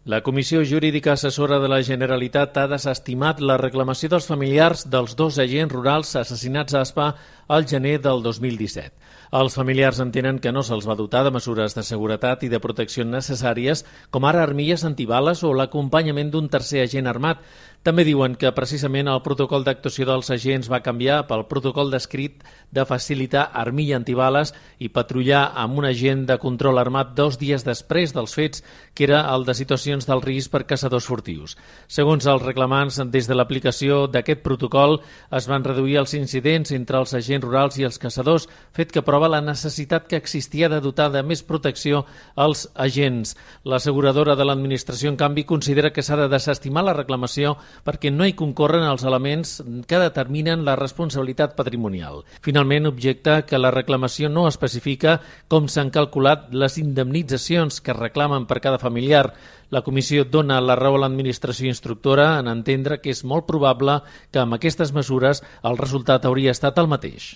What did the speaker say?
La Comissió Jurídica Assessora de la Generalitat ha desestimat la reclamació dels familiars dels 2 agents rurals assassinats a Aspa al gener del 2017. Els familiars entenen que no se'ls va dotar de mesures de seguretat i de protecció necessàries, com ara armilles antibales o l'acompanyament d'un tercer agent armat. També diuen que precisament el protocol d'actuació dels agents va canviar pel protocol descrit de facilitar armilla antibales i patrullar amb un agent de control armat 2 dies després dels fets, que era el de situacions d'alt risc per caçadors furtius. Segons els reclamants, des de l'aplicació d'aquest protocol es van reduir els incidents entre els agents rurals i els caçadors, fet que prova la necessitat que existia de dotar de més protecció als agents. L'asseguradora de l'administració, en canvi, considera que s'ha de desestimar la reclamació perquè no hi concorren els elements que determinen la responsabilitat patrimonial. Finalment, objecta que la reclamació no especifica com s'han calculat les indemnitzacions que reclamen per cada familiar. La comissió dona la raó a l'administració instructora en entendre que és molt probable que amb aquestes mesures el resultat hauria estat el mateix.